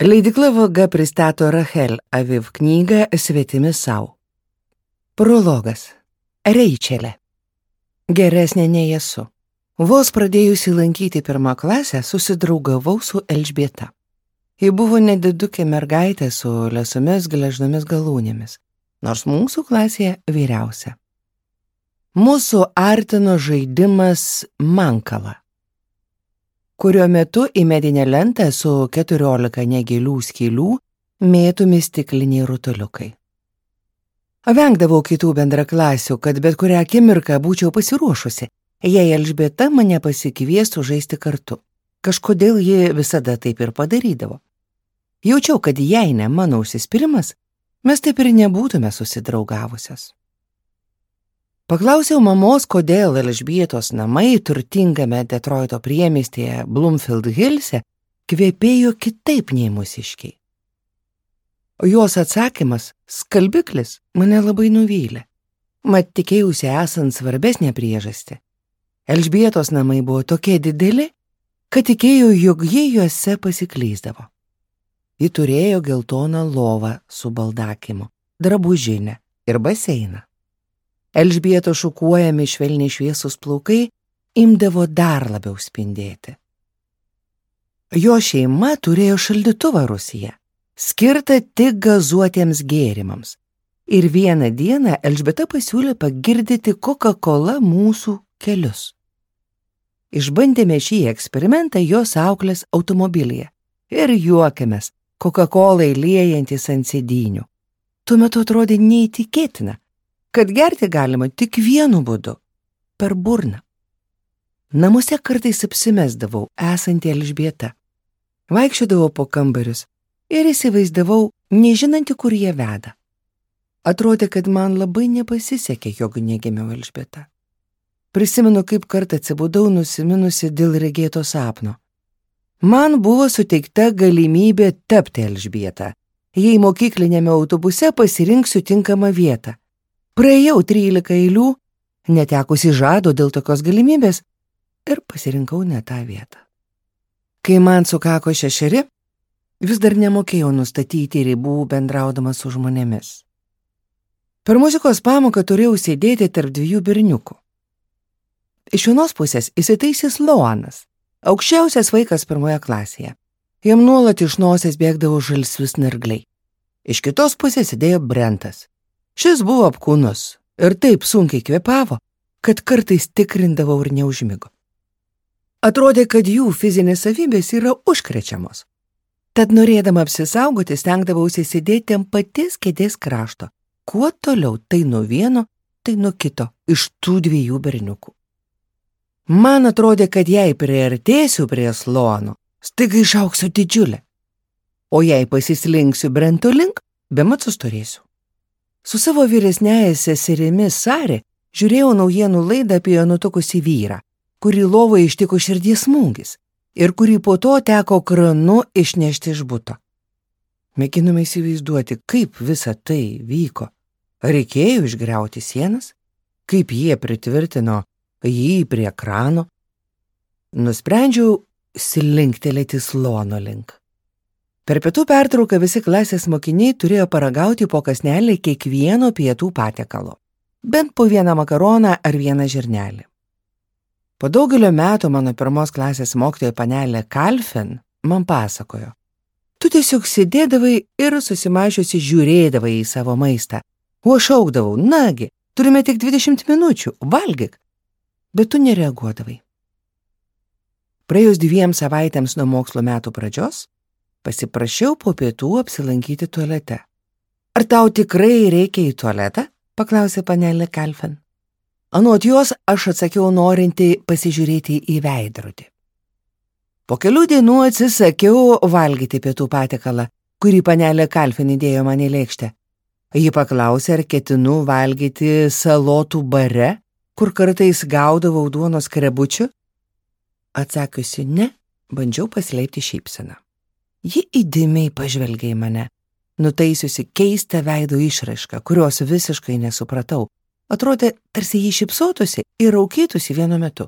Leidykla Vaga pristato Rachel Aviv knygą Svetimi sau. Prologas. Reičelė. Geresnė nei esu. Vos pradėjusi lankyti 1 klasę, susidraugavau su Elžbieta. Ji buvo nedidukė mergaitė su lesomis gležnomis galūnėmis, nors mūsų klasėje vyriausia. Mūsų artino žaidimas mankala, kurio metu į medinę lentą su 14 negilių skylių mėtomi stikliniai rutuliukai. Vengdavau kitų bendraklasių, kad bet kurią akimirką būčiau pasiruošusi, jei Elžbieta mane pasikviestų žaisti kartu. Kažkodėl ji visada taip ir padarydavo. Jaučiau, kad jei ne mano užsispyrimas, mes taip ir nebūtume susidraugavusios. Paklausiau mamos, kodėl Elžbietos namai turtingame Detroito priemiestyje Bloomfield Hillse kvepėjo kitaip nei mūsiškiai. Jos atsakymas, skalbiklis, mane labai nuvylė. Mat tikėjausi esant svarbesnė priežastį. Elžbietos namai buvo tokie dideli, kad tikėjau, jog jie juose pasiklysdavo. Ji turėjo geltoną lovą su baldakimu, drabužinę ir baseiną. Elžbietos šukuojami švelniai šviesus plaukai imdavo dar labiau spindėti. Jo šeima turėjo šaldytuvą rūsyje, skirtą tik gazuotiems gėrimams. Ir vieną dieną Elžbieta pasiūlė pagirdyti Coca-Cola mūsų kelius. Išbandėme šį eksperimentą jos auklės automobilyje ir juokėmės, Coca-Colai liejantis ant sėdynių. Tuo metu atrodė neįtikėtina, kad gerti galima tik vienu būdu – per burną. Namuose kartais apsimesdavau esanti Elžbieta. Vaikščiodavau po kambarius ir įsivaizdavau, nežinanti, kur jie veda. Atrodė, kad man labai nepasisekė, jog negimiau Elžbieta. Prisimenu, kaip kartą atsibudau nusiminusi dėl regėto sapno. Man buvo suteikta galimybė tapti Elžbieta, jei mokyklinėme autobuse pasirinksiu tinkamą vietą. Praėjau 13 eilių, netekusi žado dėl tokios galimybės ir pasirinkau ne tą vietą. Kai man sukako 6, vis dar nemokėjau nustatyti ribų bendraudama su žmonėmis. Per muzikos pamoką turėjau sėdėti tarp 2 berniukų. Iš vienos pusės įsitaisęs Loanas, aukščiausias vaikas 1 klasėje. Jam nuolat iš nosies bėgdavo žalsvi snargliai. Iš kitos pusės sėdėjo Brentas. Šis buvo apkūnus ir taip sunkiai kvėpavo, kad kartais tikrindavau ir neužmigo. Atrodė, kad jų fizinės savybės yra užkrečiamos. Tad norėdama apsisaugoti, stengdavausi sėdėti ant paties kėdės krašto. Kuo toliau, tai nuo vieno, tai nuo kito iš tų 2 berniukų. Man atrodė, kad jei priartėsiu prie Sloano, staiga išauksiu didžiulę. O jei pasislinksiu Brento link, bemat sustorėsiu. Su savo vyresniąja seserimi Sarė žiūrėjau naujienų laidą apie nutukusį vyrą, kurį lovoje ištiko širdies smūgis ir kurį po to teko kranu išnešti iš buto. Mėginome įsivaizduoti, kaip visa tai vyko. Reikėjo išgriauti sienas, kaip jie pritvirtino jį prie krano. Nusprendžiau slinktelėti Sloano link. Per pietų pertrauką visi klasės mokiniai turėjo paragauti po kąsnelį kiekvieno pietų patiekalo, bent po 1 makaroną ar 1 žirnelį. Po daugelio metų mano 1 klasės mokytoja panelė Kalfen man pasakojo: tu tiesiog sėdėdavai ir susimažiusi žiūrėdavai į savo maistą, o aš šaukdavau: nagi, turime tik 20 minučių, valgyk, bet tu nereaguodavai. Praėjus 2 savaitėms nuo mokslo metų pradžios, pasiprašiau po pietų apsilankyti tualete. Ar tau tikrai reikia į tualetą? Paklausė panelė Kalfen. Anot jos aš atsakiau norinti pasižiūrėti į veidrodį. Po kelių dienų atsisakiau valgyti pietų patiekalą, kurį panelė Kalfen įdėjo man į lėkštę. Ji paklausė, ar ketinu valgyti salotų bare, kur kartais gaudavau duonos skrebučių. Atsakiusi ne, bandžiau paslėpti šypseną. Ji įdėmiai pažvelgė į mane, nutaisiusi keistą veido išraišką, kurios visiškai nesupratau. Atrodė, tarsi jį šypsotųsi ir raukytųsi vienu metu.